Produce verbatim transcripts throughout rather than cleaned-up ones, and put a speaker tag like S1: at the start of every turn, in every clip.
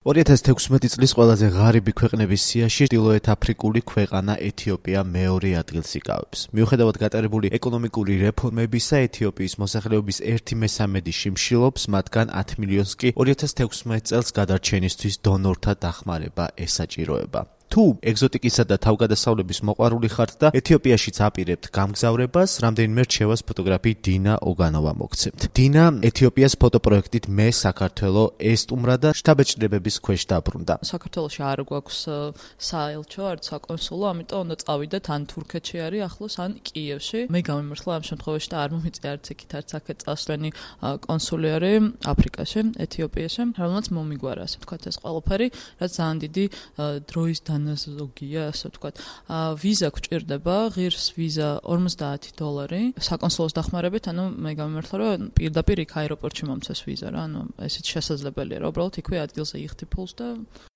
S1: ორი ათას თექვსმეტი წლის ყველაზე ღარიბი ქვეყნების სიაში ჩრდილოეთ აფრიკული ქვეყანა ეთიოპია მეორე ადგილს იკავებს. მიუხედავად გატარებული ეკონომიკური რეფორმებისა, ეთიოპიის მოსახლეობის ერთი მესამედი შიმშილობს, მათგან ათი მილიონს კი ორი ათას თექვსმეტ წელს გადარჩენისთვის დონორთა დახმარება ესაჭიროება. თუ ეგზოტიკისა და თავგადასავლების მოყვარული ხართ და ეთიოპიაშიც აპირებთ გამგზავრებას, რამდენიმე რჩევას ფოტოგრაფი დინა ოგანოვა მოგცემთ. დინა ეთიოპიას ფოტოპროექტით მე საქართველო ესტუმრა და შთაბეჭდილებების ქვეშ დაბრუნდა.
S2: საქართველოში არ გვაქვს საელჩო, არც საკონსულო, ამიტომ უნდა წავიდეთ ან თურქეთში არის ახლოს, ან კიევში. მე გამიმართლა ამ შემთხვევაში და არ მომიწია არც იქით, არც აქეთ წასვლენი კონსული არის აფრიკაში, ეთიოპიაში, რომელმაც მომიგვარა, ასე ვთქვათ, ეს ყველაფერი, რაც ძალიან დიდი დროის ზოგია, ასე ვთქვათ. ვიზა გვჭირდება, ღირს ვიზა ორმოცდაათი დოლარი. საკონსულოს დახმარებით, ანუ მე გამიმართლა, რომ პირდაპირ იქ აეროპორტში მომცეს ვიზა რა, ანუ ესეც შესაძლებელია, რა, უბრალოდ იქვე ადგილზე იხდი ფულს და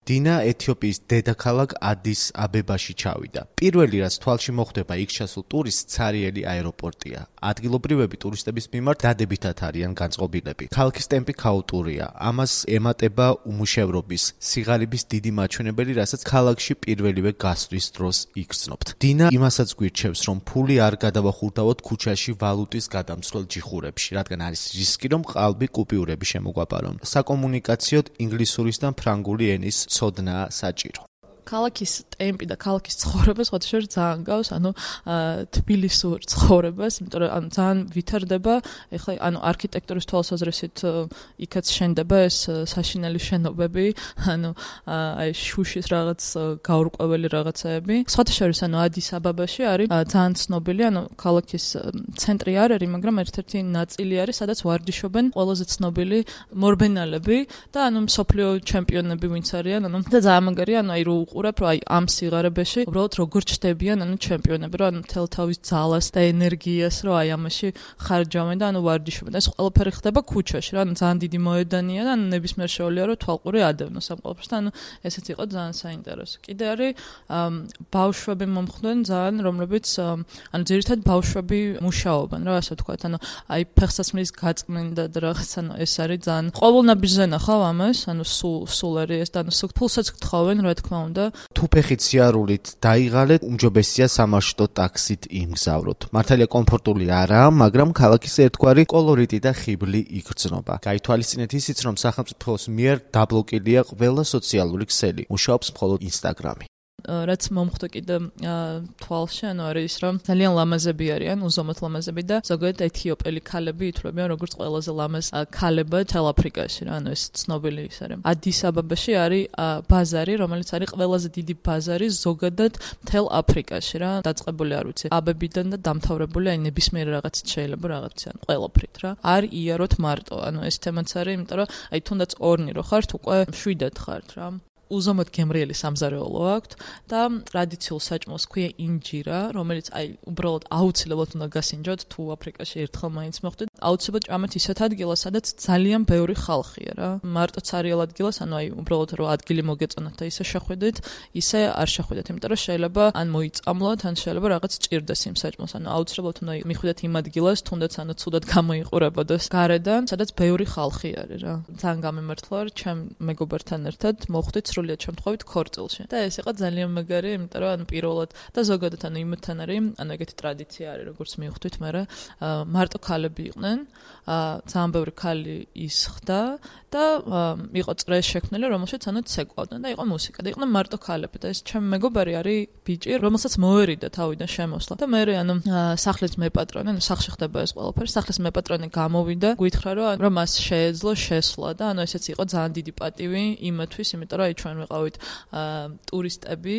S1: დინა ეთიოპიის დედაქალაქ ადის აბებაში ჩავიდა. პირველი რაც თვალში მოხვდება იქ ჩასულ ტურისტს ცარიელი აეროპორტია. ადგილობრივები ტურისტების მიმართ დადებითად არიან განწყობილები. ქალაქის ტემპი ქაოტურია. ამას ემატება უმუშევრობის, სიღარიბის დიდი მაჩვენებელი, რასაც ქალაქში პირველივე გასვლის დროს იგრძნობთ. დინა იმასაც გვირჩევს, რომ ფული არ გადავახურდავოთ ქუჩაში ვალუტის გადამცვლელ ჯიხურებში, რადგან არის რისკი, რომ ყალბი კუპიურები შემოგვაბარონ. საკომუნიკაციოდ ინგლისურის და ფრანგული ენის ცოდნაა საჭირო.
S2: ქალაქის ტემპი და ქალაქის ცხოვრება სხვადასხვა ძალიან გავს, ანუ თბილისურ ცხოვრებას, იმიტომ რომ ანუ ძალიან ვითარდება, ეხლა ანუ არქიტექტურის თვალსაზრისით იქაც შენდება ეს საშინელი შენობები, ანუ აი შუშის რაღაც გაურკვეველი რაღაცეები. სხვადასხვა ანუ ადის აბაბაში არის ძალიან ცნობილი, ანუ ქალაქის ცენტრი არ არის, მაგრამ ერთ-ერთი ნაწილი არის, სადაც ვარჯიშობენ ყველაზე ცნობილი მორბენალები და ანუ მსოფლიო ჩემპიონები ვინც არიან, ანუ და ძალიან მაგარია, ანუ აი რო უყურებ, რომ აი ამ სიღარიბეში უბრალოდ როგორ ჩდებიან ანუ ჩემპიონები, რომ ანუ მთელ თავის ძალას და ენერგიას რომ აი ამაში ხარჯავენ და ანუ ვარჯიშობენ. ეს ყველაფერი ხდება ქუჩაში, რა, ანუ ძალიან დიდი მოედანია და ანუ ნებისმიერ შეუძლია რომ თვალყური ადევნოს ამ ყველაფერს და ანუ ესეც იყო ძალიან საინტერესო. კიდე არის ბავშვები მომხდენ ძალიან, რომლებიც ანუ ძირითადად ბავშვები მუშაობენ, რა, ასე ვთქვათ, ანუ აი ფეხსაცმლის გაწმენდა და რაღაც, ანუ ეს არის ძალიან ყოველნაბიჯზე ნახავ ამას, ანუ სულ სულ არის ეს და ანუ ფულსაც გთხოვენ, რა თქმა უნდა.
S1: თუ ფეხით სიარულით დაიღალეთ, უმჯობესია სამარშრუტო ტაქსით იმგზავროთ. მართალია კომფორტული არაა, მაგრამ ქალაქის ერთგვარი კოლორიტი და ხიბლი იგრძნობა. გაითვალისწინეთ ისიც, რომ სახელმწიფოს მიერ დაბლოკილია ყველა სოციალური ქსელი. მუშაობს მხოლოდ ინსტაგრამი.
S2: რაც მომხდა კიდე თვალში, ანუ არის ის, რომ ძალიან ლამაზები არიან, უზომოდ ლამაზები და ზოგადად ეთიოპელი ქალები ითვლებიან როგორც ყველაზე ლამაზ ქალებად მთელ აფრიკაში, რა, ანუ ეს ცნობილი ის არის. ადის აბაბაში არის ბაზარი, რომელიც არის ყველაზე დიდი ბაზარი ზოგადად მთელ აფრიკაში, რა, დაწყებული არ ვიცი, აბებიდან და დამთავრებული აი ნებისმიერ რაღაცით შეიძლება რაღაც ან ყველაფრით, რა. არ იაროთ მარტო, ანუ ეს თემაც არის, იმიტომ რომ აი თუნდაც ორნი რო ხართ, უკვე შვიდად ხართ, რა. უზომოდ გემრიელი სამზარეულო აქვთ და ტრადიციულ საჭმელს ქვია ინჯირა, რომელიც აი უბრალოდ აუცილებლად უნდა გასინჯოთ, თუ აფრიკაში ერთხელ მაინც მოხვდეთ. აუცილებლად ჭამეთ ისეთ ადგილას, სადაც ძალიან ბევრი ხალხია, რა. მარტო ცარიელ ადგილას, ანუ აი უბრალოდ რომ ადგილი მოგეწონათ და ისე შეხვიდეთ, ისე არ შეხვიდეთ, იმიტომ რომ შეიძლება ან მოიწამლოთ, ან შეიძლება რაღაც ჭირდეს იმ საჭმელს, ანუ აუცილებლად უნდა მიხვიდეთ იმ ადგილას, თუნდაც ანუ ცუდად გამოიყურებოდეს გარედან, სადაც ბევრი ხალხი არის, რა. ძალიან გამიმართლა, რომ ჩემ მეგობართან ერთად მოხვდით სრულიად შემთხვევით ქორწილში. და ეს იყო ძალიან მაგარი, იმიტომ რომ ანუ პირველად და ზოგადად ანუ იმათთან არის, ანუ ეგეთი ტრადიცია არის, როგორც მივხვდით, მაგრამ მარტო ქალები იყვნენ, ძალიან ბევრი ქალი ისხდა და იყო წრეს შექმნილი, რომელშიც ანუ ცეკვავდნენ და იყო მუსიკა და იყვნენ მარტო ქალები და ეს ჩემი მეგობარი არის ბიჭი, რომელსაც მოერიდა თავიდან შემოსვლა და მე ანუ სახლის მეპატრონე, ანუ სახლში ხდება ეს ყველაფერი, სახლის მეპატრონე გამოვიდა, გითხრა რომ რომ მას შეეძლო შესვლა და ანუ ესეც იყო ძალიან დიდი პატივი იმათვის, იმიტომ რომ აი ჩვენ ვიყავით ტურისტები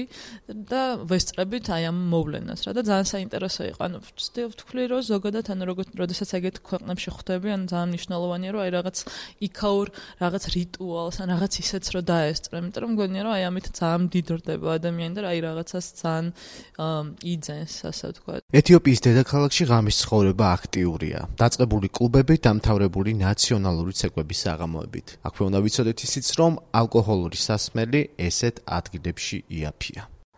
S2: და ვესწრებით აი ამ მოვლენას, რა, და ძალიან საინტერესო იყო. ანუ ვთქვი რომ ზოგადად ანუ როდესაც ეგეთ ქვეყნებში ხვდები, ანუ ძალიან მნიშვნელოვანია რომ აი რაღაც იქაურ რაღაც რიტუალს, ან რაღაც ისეც რომ დაესწრე, იმიტომ რომ მგონია რომ აი ამით ძალიან დიდრდება ადამიანი და აი რაღაცას ძალიან იძენს, ასე ვთქვათ.
S1: ეთიოპიის დედაქალაქში ღამის ცხოვრება აქტიურია. დაწყებული კლუბები, დამთავრებული ნაციონალური ცეკვების საღამოებით. აქვე უნდა ვიცოდეთ ისიც, რომ ალკოჰოლური სასმელი ესეთ ადგილებში იაფია.